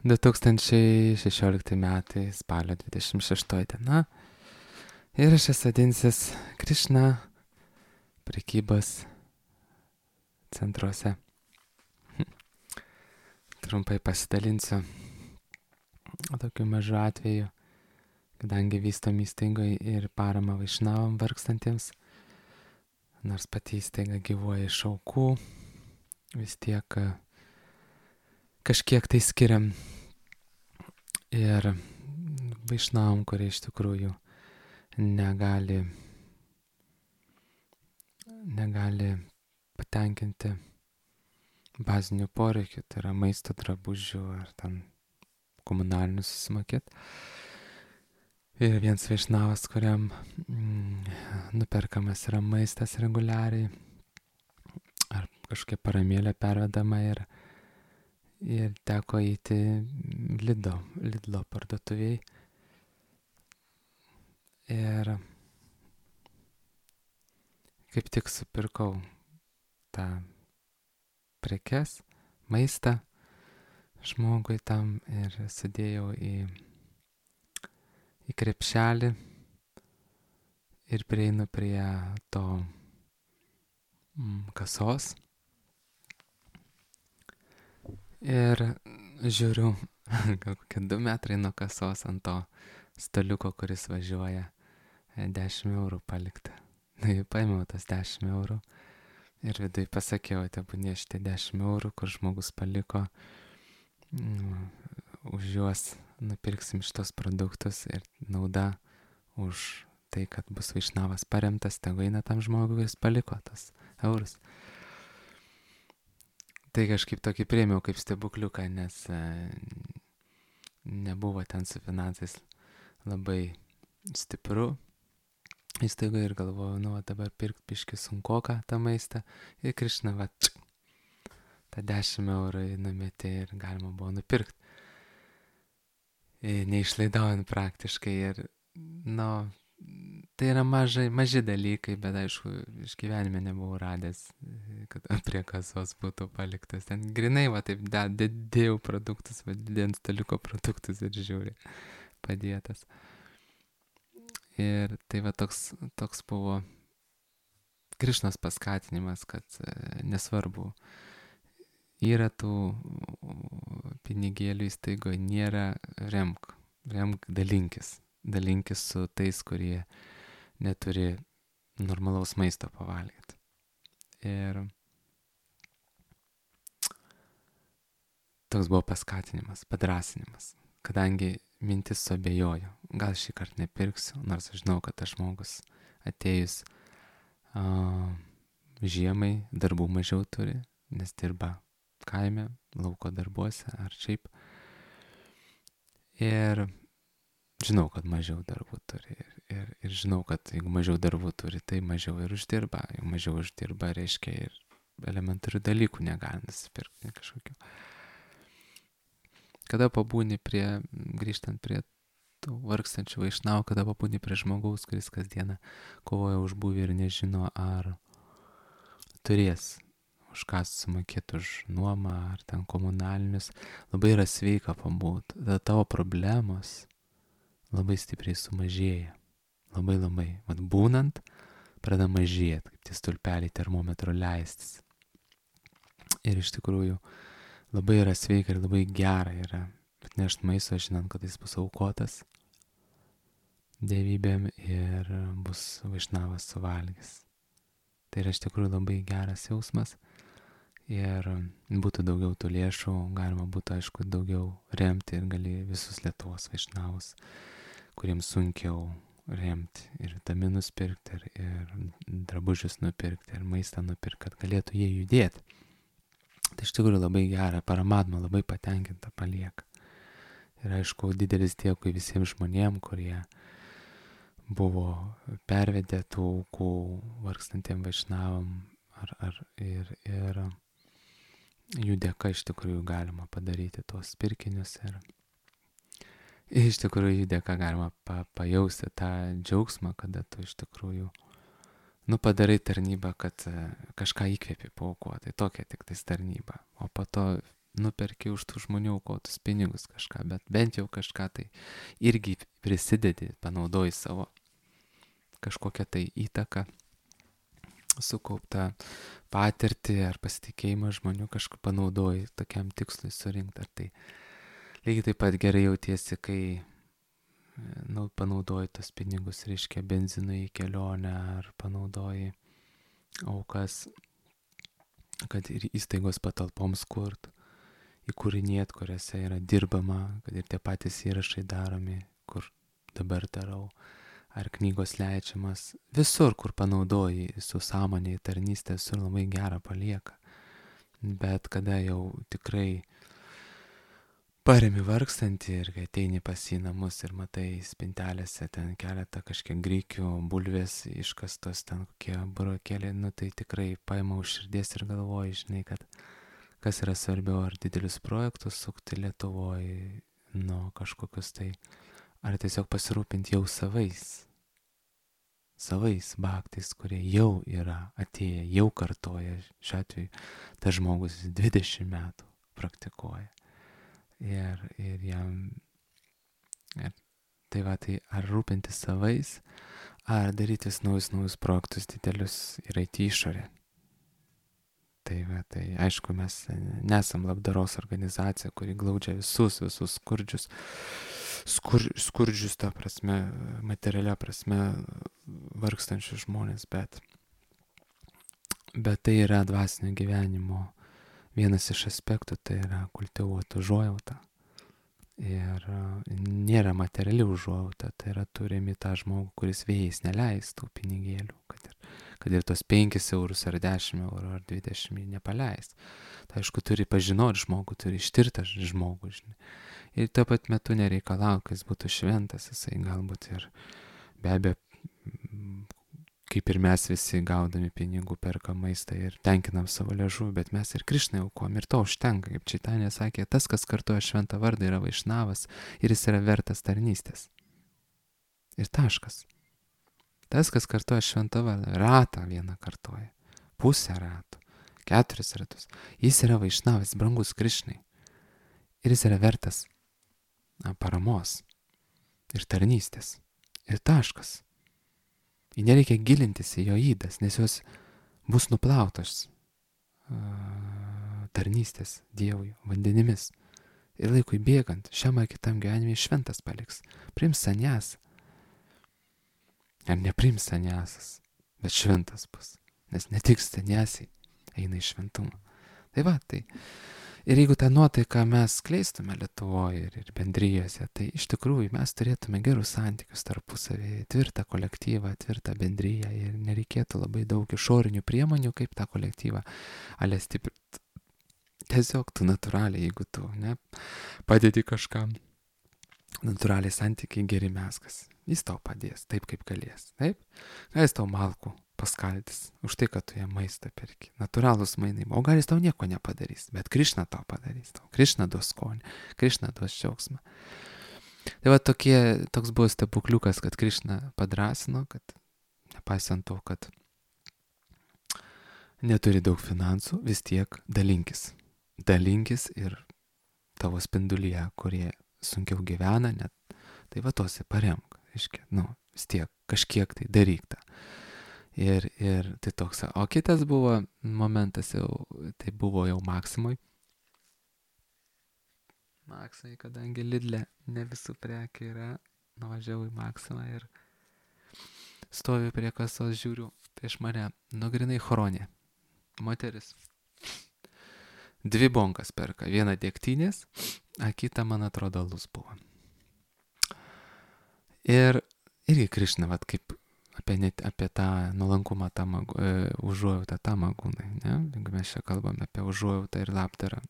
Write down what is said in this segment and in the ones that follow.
2016 metai, spalio 26 diena. Įrašas vadinsis Krišna prekybos centruose. Trumpai pasidalinsiu tokiu mažu atveju, kadangi vystom įstaigoje ir parama vaišnavam vargstantiems, nors pati įstaiga gyvuoja iš aukų, vis tiek kažkiek tai skiriam ir vaišnavam, kurie iš tikrųjų negali patenkinti bazinių poreikių, tai yra maisto, drabužių ar ten komunalinių susimokėti. Ir vienas vaišnavas, kuriam nuperkamas yra maistas reguliariai, ar kažkokia paramėlė pervedama ir teko įti Lidlo parduotuviai. Ir kaip tik supirkau tą prekes, maistą žmogui tam ir sudėjau į krepšelį ir prieinu prie to kasos ir žiūriu, gal kokie 2 metrai nuo kasos ant to staliuko, kuris važiuoja, 10 eurų palikta. Paėmiau tas 10 eurų ir viduj pasakiau, tebūnie šitie 10 eurų, kur žmogus paliko, už juos nupirksim šitos produktus ir nauda už tai, kad bus vaišnavas paremtas, tegu eina tam žmogui, kuris paliko tas eurus. Tai kažkaip tokį priėmiau kaip stebukliuką, nes nebuvo ten su finansais labai stipru įstaigoje ir galvojau, dabar pirkt biškį sunkoką tą maistą ir Krišna, tą 10 eurų numetė ir galima buvo nupirkti. Neišlaidaujant praktiškai ir, tai yra maži dalykai, bet aišku, iš gyvenime nebuvau radęs, kad prie kasos būtų paliktas. Ten grinai, taip, dėjau produktus, didėjant staliuko produktus ir žiūri, padėtas. Ir tai toks buvo Krišnos paskatinimas, kad nesvarbu, yra tų pinigėlių įstaigoje, nėra remk, dalinkis su tais, kurie neturi normalaus maisto pavalgyti. Ir toks buvo paskatinimas, padrasinimas, kadangi mintis suabejojo, gal šį kartą nepirksiu, nors aš žinau, kad tas žmogus atėjus žiemai darbų mažiau turi, nes dirba kaime, lauko darbuose ar šiaip. Ir žinau, kad mažiau darbų turi ir žinau, kad jeigu mažiau darbų turi, tai mažiau ir uždirba. Jeigu mažiau uždirba, reiškia ir elementarių dalykų negali nusipirkti kažkokių. Kada pabūni grįžtant prie tų vargstančių vaišnavų, kada pabūni prie žmogaus, kuris kasdieną kovoja už būvį ir nežino, ar turės už ką sumokėti už nuomą ar ten komunalinius, labai yra sveika pabūti. Tada tavo problemos labai stipriai sumažėja. Labai. Būnant, pradeda mažėti, kaip tie stulpeliai termometro leistis. Ir iš tikrųjų labai yra sveika ir labai gera yra atnešti maisto, žinant, kad jis bus aukotas dievybėm ir bus vaišnavas suvalgys. Tai yra iš tikrųjų labai geras jausmas. Ir būtų daugiau tų lėšų, galima būtų, aišku, daugiau remti ir gali visus Lietuvos vaišnavus, kuriems sunkiau remti ir vitaminus pirkti, ir drabužius nupirkti, ir maistą nupirkti, kad galėtų jie judėti. Tai iš tikrųjų labai gera, paramatma labai patenkinta palieka. Ir aišku, didelis dėkui visiems žmonėm, kurie buvo pervedę tų aukų vargstantiem vaišnavam ir jų dėka iš tikrųjų galima padaryti tuos pirkinius ir iš tikrųjų jų dėka galima pajausti tą džiaugsmą, kada tu iš tikrųjų padarai tarnybą, kad kažką įkvėpi paaukoti. Tai tokia tik tais tarnyba. O po to nuperki už tų žmonių aukotus pinigus kažką, bet bent jau kažką tai irgi prisidedi, panaudoji savo kažkokią tai įtaką, sukauptą patirtį ar pasitikėjimą žmonių kažką panaudoji tokiam tikslui surinkti. Ar tai lygiai taip pat gerai jautiesi, kai panaudoji tos pinigus, reiškia, benzinui į kelionę, ar panaudoji aukas, kad ir įstaigos patalpoms kurt, įkūrinėt, kuriuose yra dirbama, kad ir tie patys įrašai daromi, kur dabar darau, ar knygos leidžiamas, visur, kur panaudoji su sąmonė, tarnystė, visur labai gerą palieka. Bet kada jau tikrai paremi vargstantį ir kai ateini pas į namus ir matai spintelėse ten keletą kažkiek grikių, bulvės iškastos, ten kokie burokėliai, tai tikrai paima už širdies ir galvoji, žinai, kad kas yra svarbiau, ar didelius projektus sukti Lietuvoje, kažkokius tai, ar tiesiog pasirūpinti jau savais baktais, kurie jau yra atėję, jau kartoja, šiuo atveju tas žmogus 20 metų praktikuoja. Ir jam, tai ar rūpintis savais, ar daryti naujus projektus didelius ir eiti išorę. Tai aišku, mes nesam labdaros organizacija, kuri glaudžia visus skurdžius, ta prasme, materialia prasme, vargstančius žmonės, bet tai yra dvasinio gyvenimo vienas iš aspektų, tai yra kultivuoti užuojautą. Ir nėra materiali užuojauta, tai yra turimi tą žmogų, kuris vėjais neleis tų pinigėlių, kad ir tos 5 eurus ar 10 eurų ar 20 nepaleis. Tai aišku, turi pažinoti žmogų, turi ištirti žmogų, žinai. Ir tuo pat metu nereikalauti, kad jis būtų šventas, jisai galbūt ir be abejo, kaip ir mes visi gaudami pinigų perka maistą ir tenkinam savo liežuvį, bet mes ir Krišnai aukojam ir to užtenka, kaip Čaitanė sakė, tas, kas kartoja šventą vardą, yra vaišnavas ir jis yra vertas tarnystės. Ir taškas. Tas, kas kartoja šventą vardą, ratą vieną kartoja, pusę ratų, 4 ratus, jis yra vaišnavas, brangus Krišnai. Ir jis yra vertas paramos ir tarnystės. Ir taškas. Ir nereikia gilintis į jo ydas, nes jos bus nuplautos tarnystės Dievui vandenimis. Ir laikui bėgant, šiam ar kitam gyvenimui šventas paliks. Priims sanjas. Ar nepriims sanjasas, bet šventas bus. Nes ne tik sanjasiai eina į šventumą. Tai. Ir jeigu tą nuotaiką mes skleistume Lietuvoje ir bendrijose, tai iš tikrųjų mes turėtume gerus santykius tarpusavį, tvirtą kolektyvą, tvirtą bendriją ir nereikėtų labai daug išorinių priemonių, kaip tą kolektyvą stiprinti. Tiesiog tu natūraliai, jeigu tu padedi kažkam, natūraliai santykiai geri meskas. Jis tau padės taip, kaip galės. Taip? Jis tau malkų paskaldys už tai, kad tu jam maistą perki. Natūralūs mainai. O gal jis tau nieko nepadarys, bet Krišna tau padarys. Krišna duos skonį, Krišna duos džiaugsmą. Tai toks buvo stebukliukas, kad Krišna padrasino, kad nepaisant to, kad neturi daug finansų, vis tiek dalinkis. Dalinkis ir tavo spindulyje, kurie sunkiau gyvena, net tai tose paremk. Reiškia, vis tiek kažkiek tai daryk tą. Ir tai toks. O kitas buvo momentas tai buvo jau Maksimui. Maksimui, kadangi Lidle ne visų prekių yra, nuvažiavau į Maksimą ir stoviu prie kasos, žiūriu prieš mane, grinai chronė. Moteris. 2 bonkas perka, 1 degtinės, a kita, man atrodo, alus buvo. Ir irgi Krišna, kaip apie tą nuolankumą, užuojautą tamagūnai, ne? Jeigu mes čia kalbame apie užuojautą ir labdarą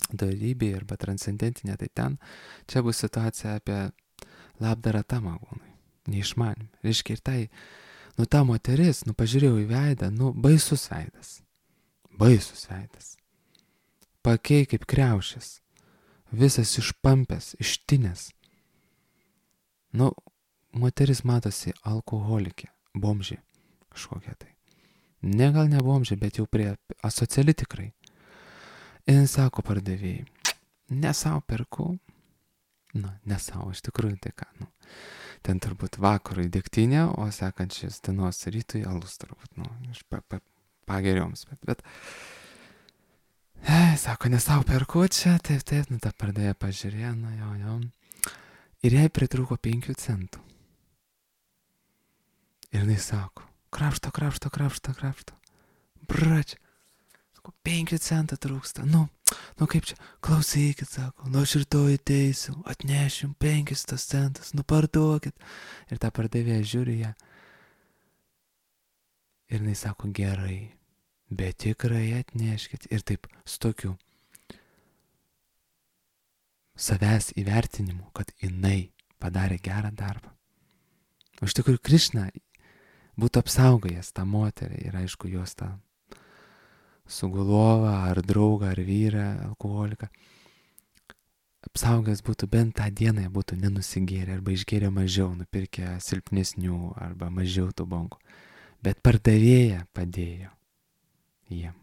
dorybė arba transcendentinė, tai ten čia bus situacija apie labdarą tamagūnai, neišmanim. Reiškia, ir tai, ta moteris, pažiūrėjau į veidą, baisus veidas. Pakei kaip kriaušės, visas išpampęs, ištinęs. Moteris matosi alkoholikė, bomžė kažkokia tai. Gal ne bomžė, bet jau prie asociali tikrai. Ir sako pardavėjai, ne savo perku, ne savo, iš tikrųjų tai ką, ten turbūt vakarui degtinė, o sekančias dienos rytui alus turbūt, iš pagerioms, bet sako, ne savo perku čia, taip, ta pardavėja pažiūrėjo, jo. Ir jai pritrūko 5 centų. Ir jinai sako, krapšto. Brač, sako, 5 centų trūksta. Kaip čia, klausykit, sako, aš rytoj ateisiu, atnešim 5 centus, parduokit. Ir ta pardavėja žiūri ją. Ir jinai sako, gerai, bet tikrai atneškit. Ir taip, su tokiu savęs įvertinimu, kad jinai padarė gerą darbą. O iš tikrųjų, Krišna būtų apsaugojęs tą moterį ir aišku, jos tą sugulovą ar draugą ar vyrą, alkoholiką. Apsaugojęs būtų bent tą dieną, jie būtų nenusigėrę arba išgėrę mažiau, nupirkę silpnesnių arba mažiau tų bonkų. Bet pardavėja padėjo jiem.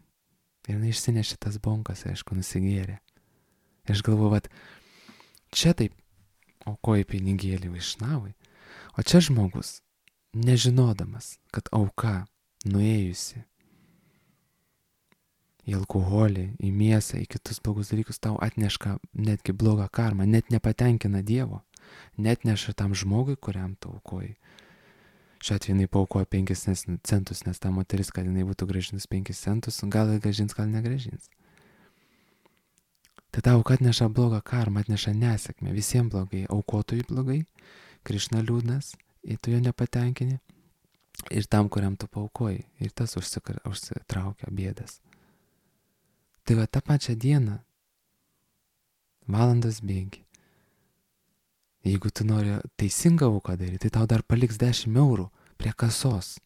Ir jinai išsinešė tas bonkas, aišku, nusigėrė. Ir aš galvoju, čia taip aukoji pinigėlį vaišnavui, o čia žmogus, nežinodamas, kad auka nuėjusi į alkoholį, į mėsą, į kitus blogus dalykus, tau atneška netgi blogą karmą, net nepatenkina Dievo, net neša tam žmogui, kuriam tu aukoji. Šiuo atveju jinai paaukojo 5 centus, nes ta moteris, kad jinai būtų grąžinus 5 centus, gal grąžins, gal negrąžins. Tai ta auka atneša blogą karmą, atneša nesėkmę, visiems blogai, aukotojui blogai, Krišna liūdnas, ir tu jo nepatenkini, ir tam, kuriam tu paaukoji, ir tas užsitraukia bėdas. Tai tą pačią dieną, valandas bėgi. Jeigu tu nori teisingą auką daryti, tai tau dar paliks 10 eurų prie kasos.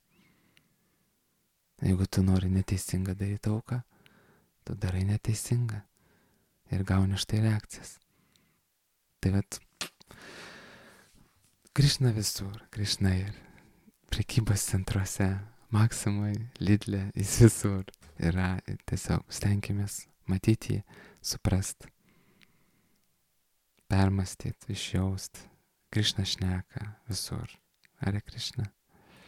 Jeigu tu nori neteisingą daryti auką, tu darai neteisingą ir gauni štai reakcijas. Tai Krišna visur, Krišna ir prekybos centruose, Maksimoj, Lidle, jis visur yra. Tiesiog stenkimės matyti jį, suprast, permastyti, išjaust. Krišna šneka visur. Hare Krišna.